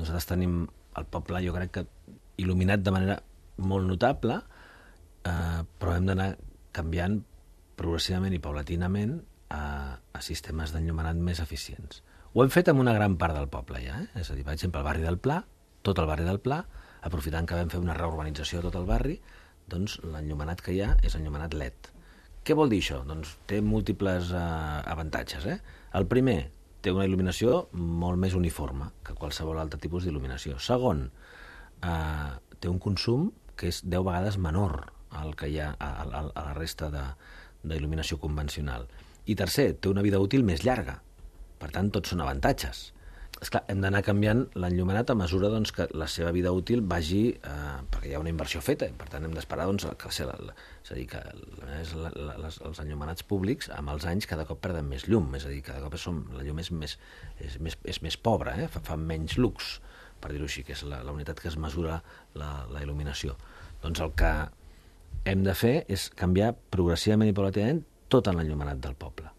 Nosaltres tenim el poble, jo crec que il·luminat de manera molt notable, però hem d'anar canviant progressivament i paulatinament a sistemes d'enllumenat més eficients. Ho hem fet amb una gran part del poble ja, és a dir, per exemple, el barri del Pla, tot el barri del Pla, aprofitant que vam fer una reurbanització de tot el barri, doncs l'enllumenat que hi ha és enllumenat LED. Què vol dir això? Doncs té múltiples avantatges. El primer, té una il·luminació molt més uniforme que qualsevol altre tipus d'il·luminació. Segon, té un consum que és 10 vegades menor al que hi ha a la resta d'il·luminació convencional. I tercer, té una vida útil més llarga. Per tant, tots són avantatges. Esclar, hem d'anar canviant l'enllumenat a mesura doncs, que la seva vida útil vagi... perquè hi ha una inversió feta, per tant hem d'esperar doncs, és a dir, que els enllumenats públics amb els anys cada cop perden més llum, és a dir, cada cop la llum és més pobra, fa menys lux, per dir-ho així, que és la unitat que es mesura la il·luminació. Doncs el que hem de fer és canviar progressivament i paulatinament tot l'enllumenat del poble.